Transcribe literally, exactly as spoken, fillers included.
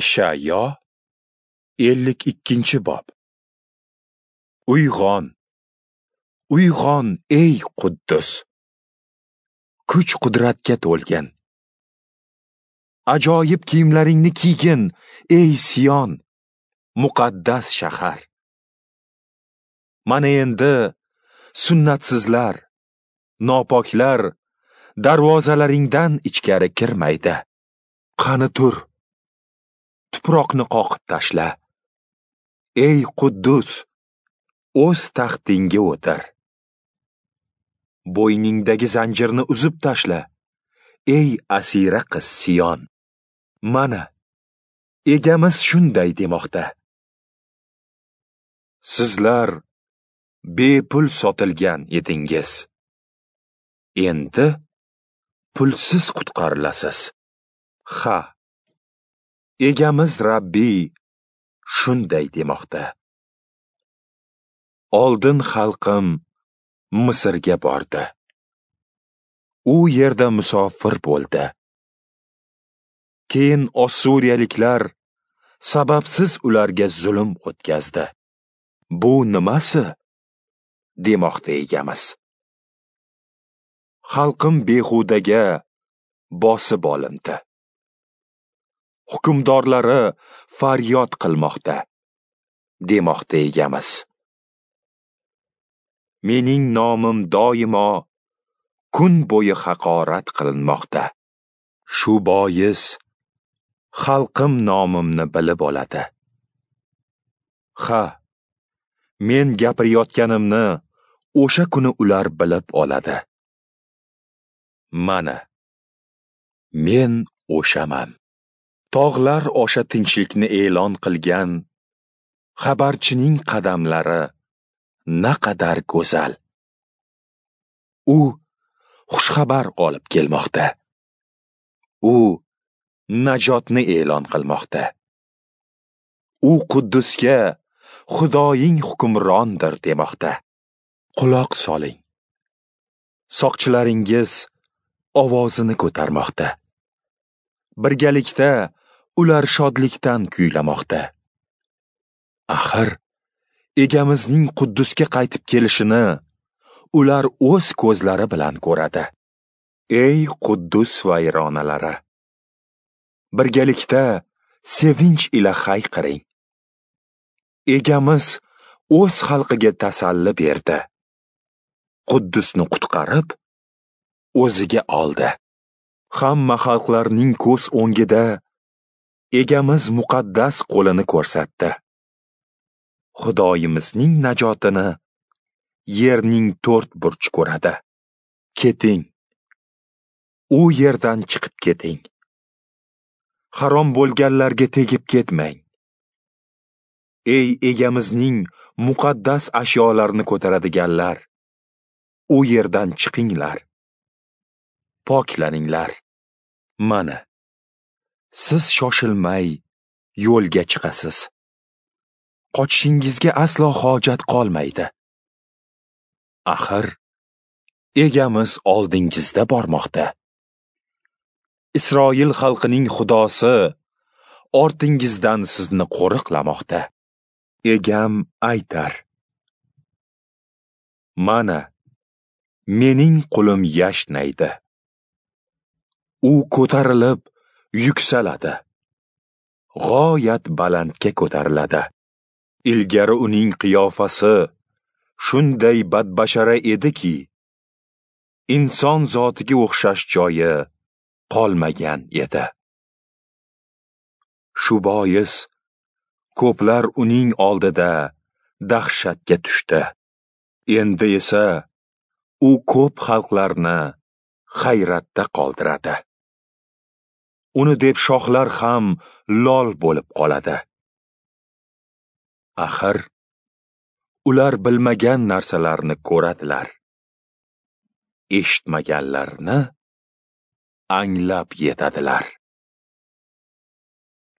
Ishayo ellik ikkinchi bob. Uyg'on, uyg'on ey Quddus, kuch-qudratga to'lgin. Ajoyib kiyimlaringni kiygin, ey Sion, muqaddas shahar. Mana endi sunnatsizlar, nopoklar darvozalaringdan ichkari kirmaydi. Qani tur, tuproqni qoqib tashla. Ey Quddus, o'z taxtingga o'tir. Bo'yningdagi zanjirni uzib tashla, ey asira qiz Sion. Mana, egamiz shunday demoqda: Sizlar bepul sotilgan edingiz. Endi pulsiz qutqarilasiz. Ha, egamiz Rabbiy shunday demoqda: Oldin xalqim Misrga bordi. U yerda musofir bo'ldi. Keyin Ossuriyaliklar sababsiz ularga zulm o'tkazdi. Bu nimasi? Demoqda egamiz. Xalqim behudaga bosib olindi. Hukmdorlari faryod qilmoqda, demoqda egamiz. Mening nomim doimo kun bo'yi haqorat qilinmoqda. Shu bois xalqim nomimni bilib oladi. Ha, men gapirayotganimni o'sha kuni ular bilib oladi. Mana, men o'shaman. Tog'lar osha tinchlikni e'lon qilgan xabarchining qadamlari naqadar go'zal. U xushxabar olib kelmoqda. U najotni e'lon qilmoqda. U Quddusga Xudoying hukmrondir demoqda. Quloq soling. Soqchilaringiz ovozini ko'tarmoqda. Birgalikda ular shodlikdan kuylamoqda. Axir egamizning Quddusga qaytib kelishini ular o'z ko'zlari bilan ko'radi. Ey Quddus vayronalari, birgalikda sevinch ila hayqiring. Egamiz o'z xalqiga tasalli berdi. Quddusni qutqarib, o'ziga oldi. Hamma xalqlarning ko'z o'ngida egamiz muqaddas qo'lini ko'rsatdi. Xudoyimizning najotini yerning to'rt burchi ko'radi. Keting. U yerdan chiqib keting. Harom bo'lganlarga tegib ketmang. Ey egamizning muqaddas ashyolarini ko'taradiganlar, u yerdan chiqinglar. Poklaninglar. Mana, siz shoshilmay yo'lga chiqasiz. Qochishingizga aslo hojat qolmaydi. Axir egamiz oldingizda bormoqda. Isroil xalqining Xudosi ortingizdan sizni qo'riqlamoqda. Egam aytar: Mana, mening qulim yashnaydi. U ko'tarilib yuksaladi. G'oyat balandga ko'tariladi. Ilgari uning qiyofasi shunday badbashara ediki, inson zotiga o'xshash joyi qolmagan edi. Shu bois ko'plar uning oldida dahshatga tushdi. Endi esa u ko'p xalqlarni hayratda qoldiradi. Uni deb shohlar ham lol bo'lib qoladi. Axir ular bilmagan narsalarni ko'radilar, eshitmaganlarni anglab yetadilar.